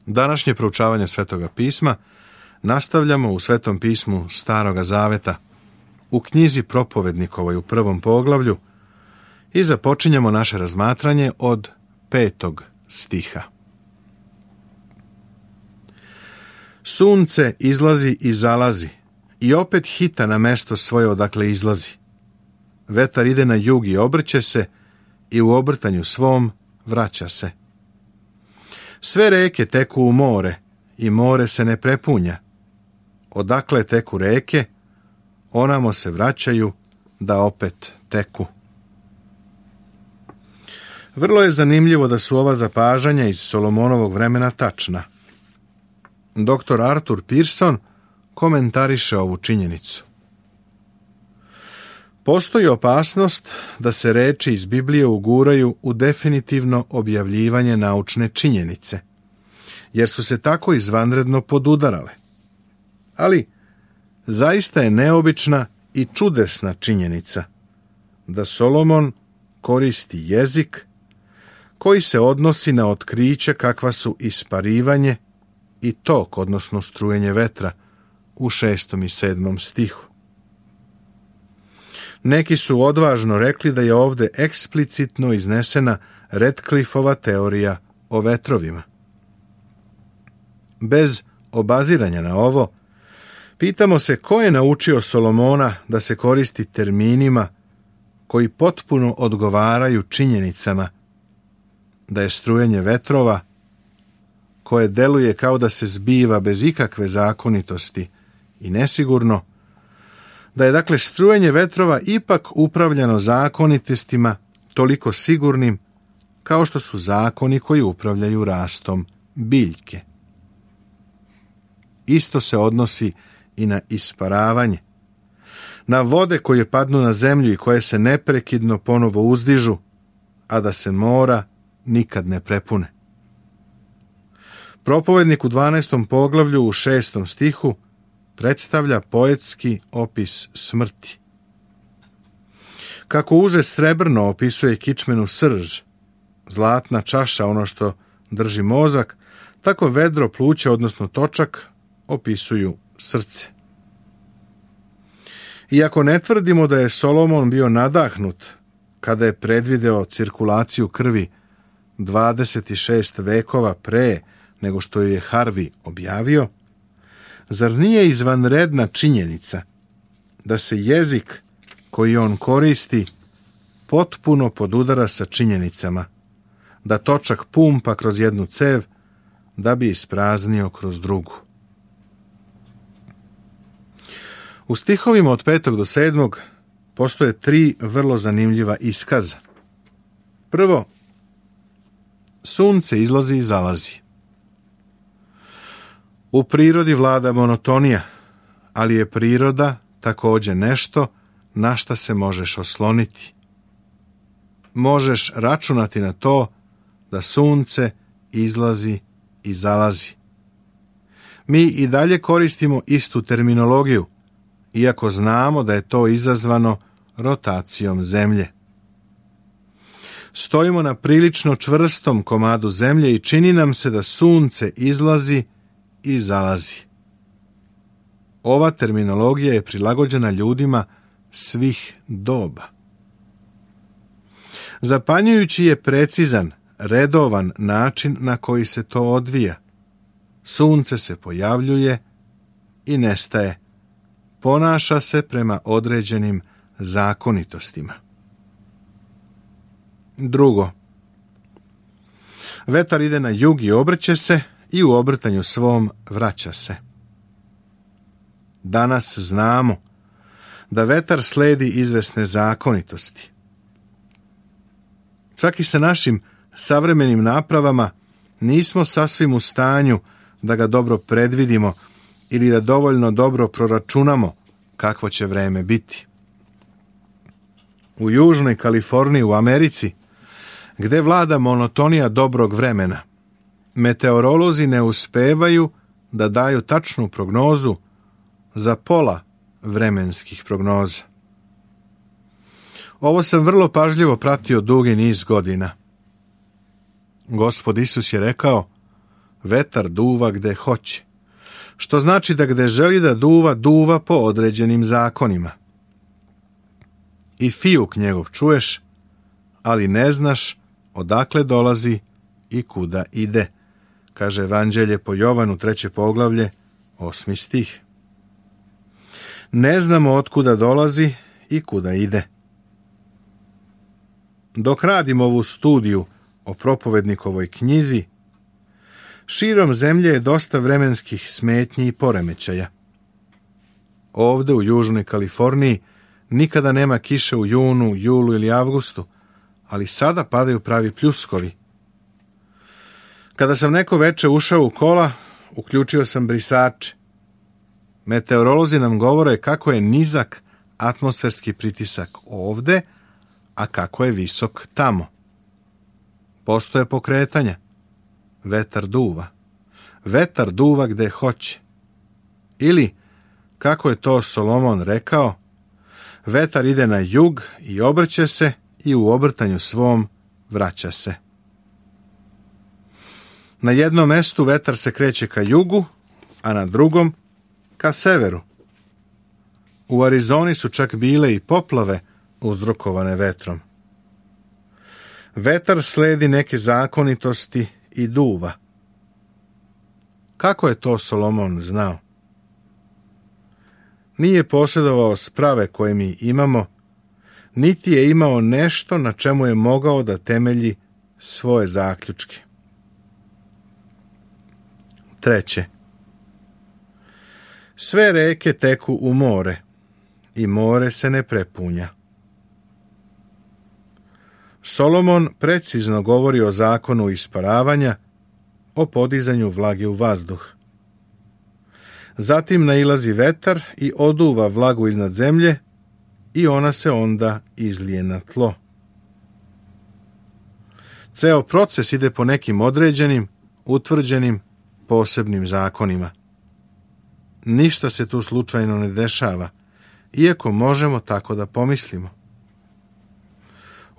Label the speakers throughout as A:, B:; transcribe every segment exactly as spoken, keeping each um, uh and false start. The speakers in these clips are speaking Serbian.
A: Današnje proučavanje Svetoga pisma nastavljamo u Svetom pismu Staroga Zaveta, u knjizi Propovednikovoj u prvom poglavlju i započinjemo naše razmatranje od petog stiha. Sunce izlazi i zalazi i opet hita na mesto svoje odakle izlazi. Vetar ide na jug i obrće se i u obrtanju svom vraća se. Sve reke teku u more i more se ne prepunja. Odakle teku reke, onamo se vraćaju da opet teku. Vrlo je zanimljivo da su ova zapažanja iz Solomonovog vremena tačna. Doktor Arthur Pearson komentariše ovu činjenicu. Postoji opasnost da se reči iz Biblije uguraju u definitivno objavljivanje naučne činjenice, jer su se tako izvanredno podudarale. Ali zaista je neobična i čudesna činjenica da Solomon koristi jezik koji se odnosi na otkriće kakva su isparivanje i tok, odnosno strujenje vetra, u šestom i sedmom stihu. Neki su odvažno rekli da je ovdje eksplicitno iznesena Radcliffeova teorija o vetrovima. Bez obaziranja na ovo, pitamo se ko je naučio Solomona da se koristi terminima koji potpuno odgovaraju činjenicama da je strujenje vetrova, koje deluje kao da se zbiva bez ikakve zakonitosti i nesigurno, da je dakle strujenje vetrova ipak upravljano zakonitostima toliko sigurnim kao što su zakoni koji upravljaju rastom biljke. Isto se odnosi i na isparavanje, na vode koje padnu na zemlju i koje se neprekidno ponovo uzdižu, a da se mora nikad ne prepune. Propovednik u dvanaestom poglavlju u šestom stihu predstavlja poetski opis smrti. Kako uže srebrno opisuje kičmenu srž, zlatna čaša ono što drži mozak, tako vedro pluća, odnosno točak, opisuju srce. Iako ne tvrdimo da je Solomon bio nadahnut kada je predvideo cirkulaciju krvi dvadeset šest vekova pre nego što je Harvey objavio, zar nije izvanredna činjenica da se jezik koji on koristi potpuno podudara sa činjenicama, da točak pumpa kroz jednu cev da bi ispraznio kroz drugu. U stihovima od petog do sedmog postoje tri vrlo zanimljiva iskaza. Prvo, sunce izlazi i zalazi. U prirodi vlada monotonija, ali je priroda također nešto na šta se možeš osloniti. Možeš računati na to da sunce izlazi i zalazi. Mi i dalje koristimo istu terminologiju, iako znamo da je to izazvano rotacijom zemlje. Stojimo na prilično čvrstom komadu zemlje i čini nam se da sunce izlazi i zalazi. Ova terminologija je prilagođena ljudima svih doba. Zapanjujući je precizan, redovan način na koji se to odvija. Sunce se pojavljuje i nestaje. Ponaša se prema određenim zakonitostima. Drugo, vetar ide na jug i obrće se i u obrtanju svom vraća se. Danas znamo da vetar sledi izvesne zakonitosti. Čak i sa našim savremenim napravama nismo sasvim u stanju da ga dobro predvidimo ili da dovoljno dobro proračunamo kakvo će vreme biti. U južnoj Kaliforniji u Americi, gde vlada monotonija dobrog vremena, meteorolozi ne uspevaju da daju tačnu prognozu za pola vremenskih prognoza. Ovo sam vrlo pažljivo pratio dugi niz godina. Gospod Isus je rekao: vetar duva gde hoće, što znači da gde želi da duva, duva po određenim zakonima. I fijuk njegov čuješ, ali ne znaš odakle dolazi i kuda ide, kaže Evanđelje po Jovanu, treće poglavlje, osmi stih. Ne znamo otkuda dolazi i kuda ide. Dok radim ovu studiju o propovednikovoj knjizi, širom zemlje je dosta vremenskih smetnji i poremećaja. Ovde u Južnoj Kaliforniji nikada nema kiše u junu, julu ili avgustu, ali sada padaju pravi pljuskovi. Kada sam neko veče ušao u kola, uključio sam brisače. Meteorolozi nam govore kako je nizak atmosferski pritisak ovde, a kako je visok tamo. Postoje pokretanja. Vetar duva. Vetar duva gde hoće. Ili, kako je to Solomon rekao, vetar ide na jug i obrće se i u obrtanju svom vraća se. Na jednom mestu vetar se kreće ka jugu, a na drugom ka severu. U Arizoni su čak bile i poplave uzrokovane vetrom. Vetar sledi neke zakonitosti i duva. Kako je to Solomon znao? Nije posjedovao sprave koje mi imamo, niti je imao nešto na čemu je mogao da temelji svoje zaključke. Treće. Sve reke teku u more i more se ne prepunja. Solomon precizno govori o zakonu isparavanja, o podizanju vlage u vazduh. Zatim nailazi vetar i oduva vlagu iznad zemlje i ona se onda izlije na tlo. Ceo proces ide po nekim određenim, utvrđenim, posebnim zakonima. Ništa se tu slučajno ne dešava, iako možemo tako da pomislimo.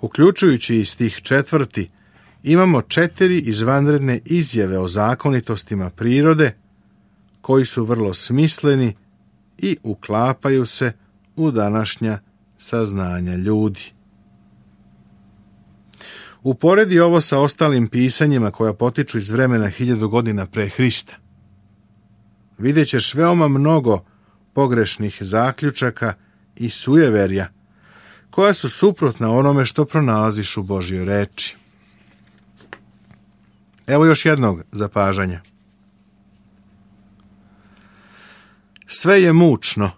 A: Uključujući i stih četvrti, imamo četiri izvanredne izjave o zakonitostima prirode, koji su vrlo smisleni i uklapaju se u današnja saznanja ljudi. Uporedi ovo sa ostalim pisanjima koja potiču iz vremena hiljadu godina pre Hrista. Vidjet ćeš veoma mnogo pogrešnih zaključaka i sujeverja, koja su suprotna onome što pronalaziš u Božjoj reči. Evo još jednog zapažanja. Sve je mučno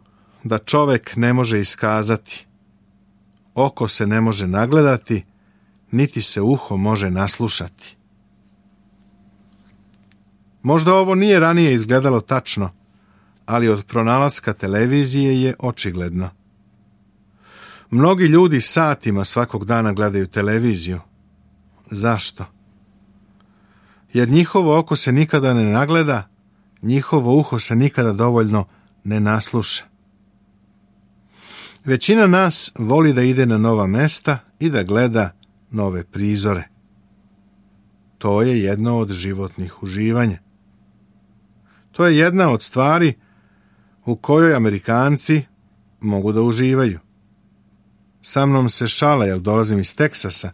A: da čovek ne može iskazati, oko se ne može nagledati, niti se uho može naslušati. Možda ovo nije ranije izgledalo tačno, ali od pronalaska televizije je očigledno. Mnogi ljudi satima svakog dana gledaju televiziju. Zašto? Jer njihovo oko se nikada ne nagleda, njihovo uho se nikada dovoljno ne nasluša. Većina nas voli da ide na nova mesta i da gleda nove prizore. To je jedno od životnih uživanja. To je jedna od stvari u kojoj Amerikanci mogu da uživaju. Sa mnom se šale, jer dolazim iz Teksasa,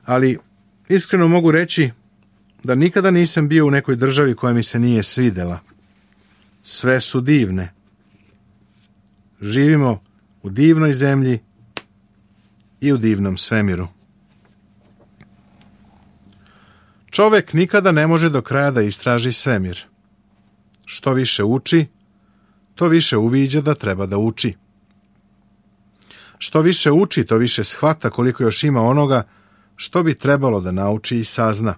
A: ali iskreno mogu reći da nikada nisam bio u nekoj državi koja mi se nije svidela. Sve su divne. Živimo u divnoj zemlji i u divnom svemiru. Čovek nikada ne može do kraja da istraži svemir. Što više uči, to više uviđa da treba da uči. Što više uči, to više shvata koliko još ima onoga što bi trebalo da nauči i sazna.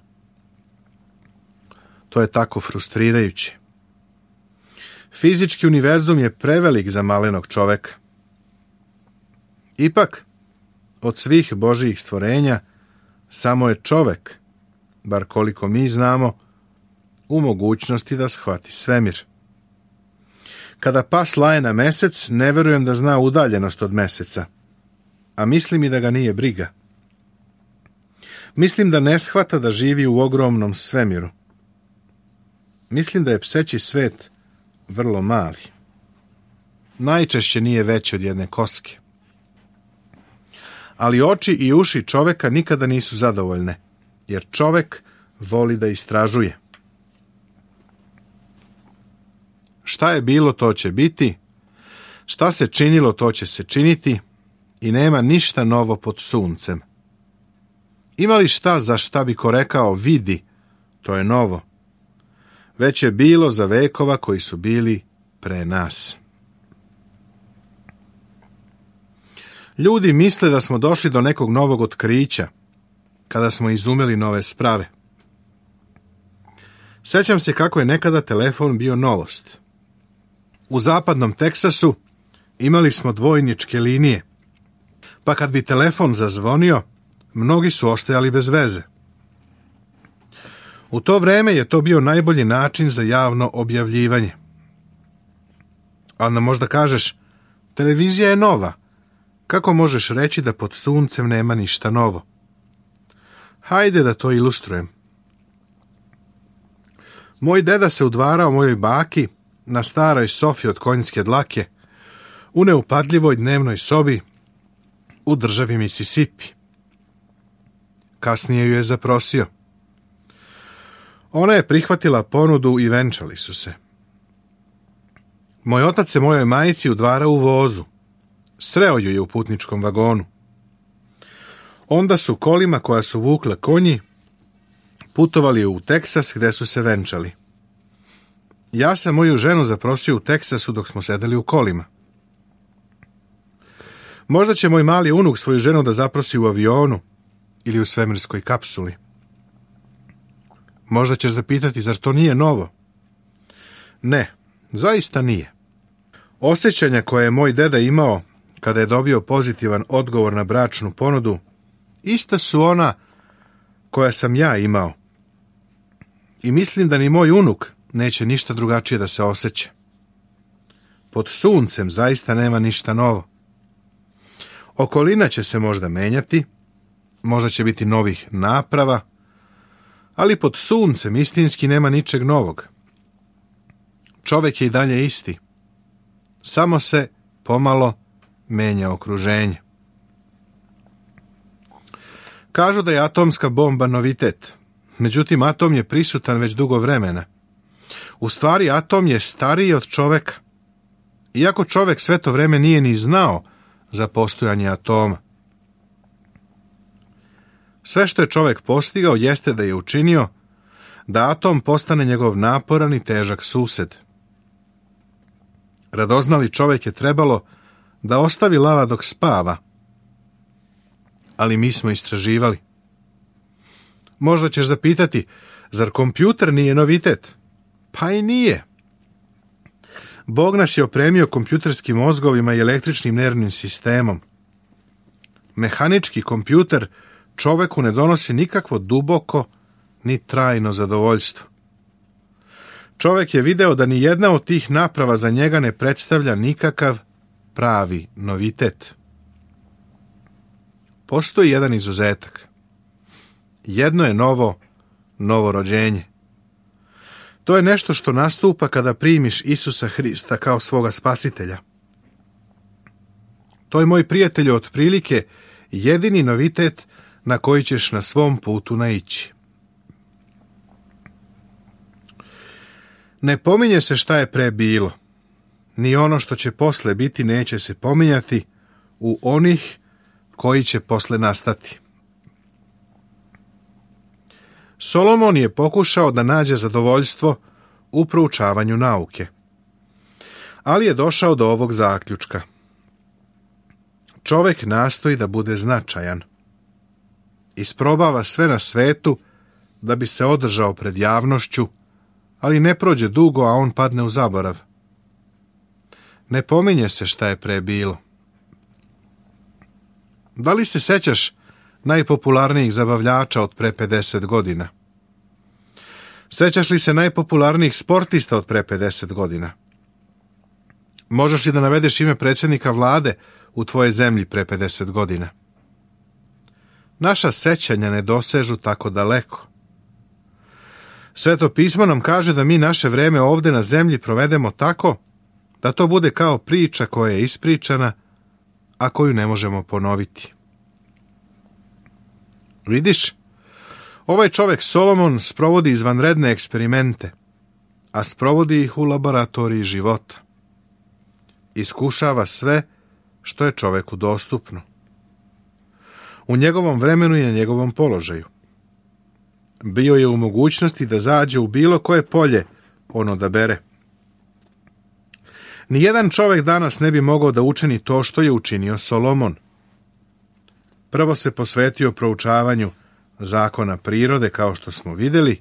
A: To je tako frustrirajuće. Fizički univerzum je prevelik za malenog čoveka. Ipak, od svih Božijih stvorenja, samo je čovek, bar koliko mi znamo, u mogućnosti da shvati svemir. Kada pas laje na mesec, ne verujem da zna udaljenost od meseca, a mislim i da ga nije briga. Mislim da ne shvata da živi u ogromnom svemiru. mislim da je pseći svet vrlo mali. Najčešće nije veći od jedne koske. Ali oči i uši čoveka nikada nisu zadovoljne, jer čovek voli da istražuje. Šta je bilo, to će biti, šta se činilo, to će se činiti i nema ništa novo pod suncem. Ima li šta za šta bi ko rekao vidi, to je novo. Već je bilo za vekova koji su bili pre nas. Ljudi misle da smo došli do nekog novog otkrića, kada smo izumeli nove sprave. Sećam se kako je nekada telefon bio novost. U zapadnom Teksasu imali smo dvojničke linije, pa kad bi telefon zazvonio, mnogi su ostajali bez veze. U to vreme je to bio najbolji način za javno objavljivanje. A onda možda kažeš, televizija je nova. Kako možeš reći da pod suncem nema ništa novo? Hajde da to ilustrujem. Moj deda se udvarao mojoj baki na staroj sofi od konjske dlake, u neupadljivoj dnevnoj sobi u državi Mississippi. Kasnije ju je zaprosio. Ona je prihvatila ponudu i venčali su se. Moj otac se mojoj majici udvarao u vozu. Sreo ju je u putničkom vagonu. Onda su kolima koja su vukla konji putovali u Teksas gde su se venčali. Ja sam moju ženu zaprosio u Teksasu dok smo sedeli u kolima. Možda će moj mali unuk svoju ženu da zaprosi u avionu ili u svemirskoj kapsuli. Možda ćeš zapitati, zar to nije novo? Ne, zaista nije. Osjećanja koje je moj deda imao kada je dobio pozitivan odgovor na bračnu ponudu, ista su ona koja sam ja imao. I mislim da ni moj unuk neće ništa drugačije da se osjeća. Pod suncem zaista nema ništa novo. Okolina će se možda menjati, možda će biti novih naprava, ali pod suncem istinski nema ničeg novog. Čovek je i dalje isti. Samo se pomalo menja okruženje. Kažu da je atomska bomba novitet. Međutim, atom je prisutan već dugo vremena. U stvari, atom je stariji od čoveka. Iako čovek sve to vreme nije ni znao za postojanje atoma. Sve što je čovek postigao jeste da je učinio da atom postane njegov naporan i težak sused. Radoznali čovek je trebalo da ostavi lava dok spava, ali mi smo istraživali. Možda ćeš zapitati, zar kompjuter nije novitet? Pa i nije. Bog nas je opremio kompjuterskim mozgovima i električnim nervnim sistemom. Mehanički kompjuter čoveku ne donosi nikakvo duboko ni trajno zadovoljstvo. Čovek je video da ni jedna od tih naprava za njega ne predstavlja nikakav pravi novitet. Postoji jedan izuzetak. Jedno je novo, novo rođenje. To je nešto što nastupa kada primiš Isusa Hrista kao svoga spasitelja. To je, moj prijatelju, otprilike jedini novitet na koji ćeš na svom putu naići. Ne pominje se šta je pre bilo, ni ono što će posle biti neće se pominjati u onih koji će posle nastati. Solomon je pokušao da nađe zadovoljstvo u proučavanju nauke, ali je došao do ovog zaključka. Čovek nastoji da bude značajan. Isprobava sve na svetu da bi se održao pred javnošću, ali ne prođe dugo, a on padne u zaborav. Ne pominje se šta je pre bilo. Da li se sećaš najpopularnijih zabavljača od pre pedeset godina? Sećaš li se najpopularnijih sportista od pre pedeset godina? Možeš li da navedeš ime predsjednika vlade u tvojoj zemlji pre pedeset godina? Naša sećanja ne dosežu tako daleko. Sveto pismo nam kaže da mi naše vreme ovdje na zemlji provedemo tako da to bude kao priča koja je ispričana, a koju ne možemo ponoviti. Vidiš, ovaj čovjek Solomon sprovodi izvanredne eksperimente, a sprovodi ih u laboratoriji života. Iskušava sve što je čovjeku dostupno. U njegovom vremenu i na njegovom položaju. Bio je u mogućnosti da zađe u bilo koje polje on odabere. Nijedan čovjek danas ne bi mogao da učini to što je učinio Solomon. Prvo se posvetio proučavanju zakona prirode, kao što smo vidjeli,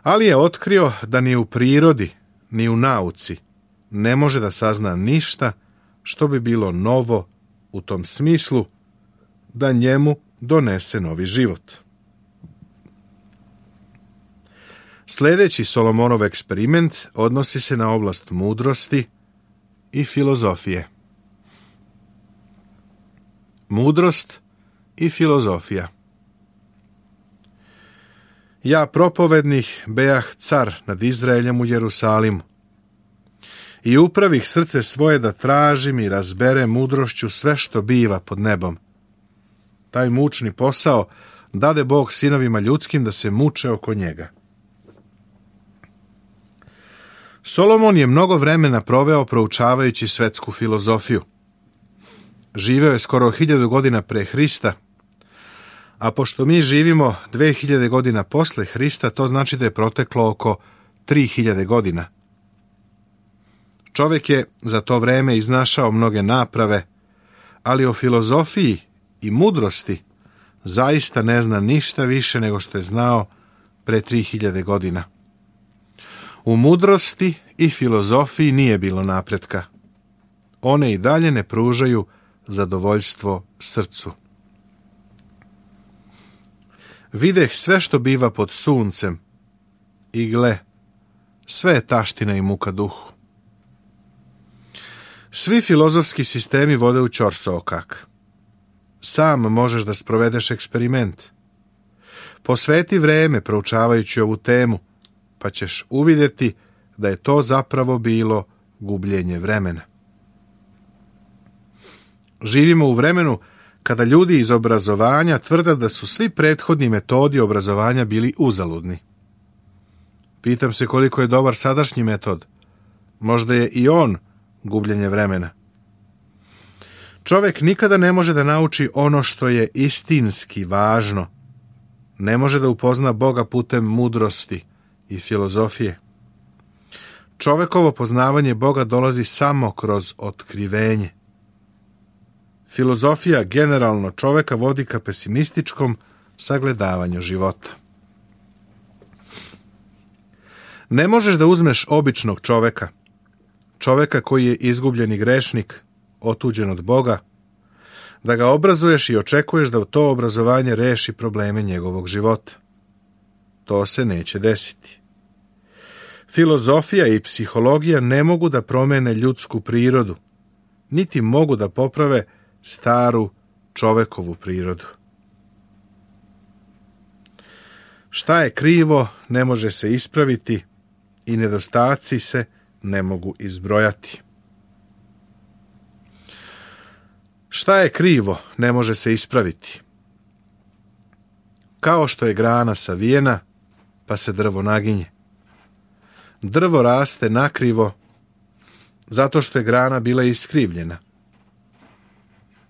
A: ali je otkrio da ni u prirodi, ni u nauci ne može da sazna ništa što bi bilo novo u tom smislu da njemu donese novi život. Sljedeći Solomonov eksperiment odnosi se na oblast mudrosti i filozofije. Mudrost i filozofija. Ja, propovednih, bejah car nad Izraeljem u Jerusalimu i upravih srce svoje da tražim i razbere mudrošću sve što biva pod nebom. Taj mučni posao dade Bog sinovima ljudskim da se muče oko njega. Solomon je mnogo vremena proveo proučavajući svetsku filozofiju. Živeo je skoro hiljadu godina pre Hrista, a pošto mi živimo dve hiljade godina posle Hrista, to znači da je proteklo oko tri hiljade godina. Čovjek je za to vreme iznašao mnoge naprave, ali o filozofiji i mudrosti zaista ne zna ništa više nego što je znao pre tri hiljade godina. U mudrosti i filozofiji nije bilo napretka. One i dalje ne pružaju zadovoljstvo srcu. Videh sve što biva pod suncem i gle, sve je taština i muka duhu. Svi filozofski sistemi vode u ćorsokak. Sam možeš da sprovedeš eksperiment. Posveti vreme proučavajući ovu temu, pa ćeš uvidjeti da je to zapravo bilo gubljenje vremena. Živimo u vremenu kada ljudi iz obrazovanja tvrde da su svi prethodni metodi obrazovanja bili uzaludni. Pitam se koliko je dobar sadašnji metod. Možda je i on gubljenje vremena. Čovjek nikada ne može da nauči ono što je istinski važno. Ne može da upozna Boga putem mudrosti i filozofije. Čovjekovo poznavanje Boga dolazi samo kroz otkrivenje. Filozofija generalno čovjeka vodi ka pesimističkom sagledavanju života. Ne možeš da uzmeš običnog čovjeka, čovjeka koji je izgubljeni grešnik, otuđen od Boga, da ga obrazuješ i očekuješ da to obrazovanje reši probleme njegovog života. To se neće desiti. Filozofija i psihologija ne mogu da promene ljudsku prirodu, niti mogu da poprave staru čovekovu prirodu. Šta je krivo ne može se ispraviti i nedostaci se ne mogu izbrojati. Šta je krivo ne može se ispraviti. Kao što je grana savijena, pa se drvo naginje. Drvo raste nakrivo zato što je grana bila iskrivljena.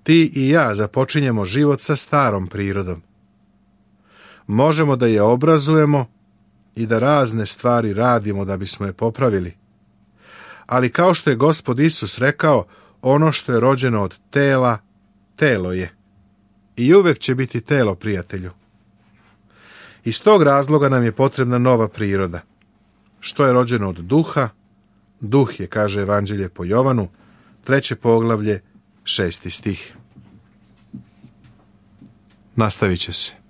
A: Ti i ja započinjemo život sa starom prirodom. Možemo da je obrazujemo i da razne stvari radimo da bismo je popravili. Ali kao što je Gospod Isus rekao, ono što je rođeno od tela, telo je. I uvek će biti telo, prijatelju. Iz tog razloga nam je potrebna nova priroda. Što je rođeno od duha, duh je, kaže Evanđelje po Jovanu, treće poglavlje, šesti stih. Nastavit će se.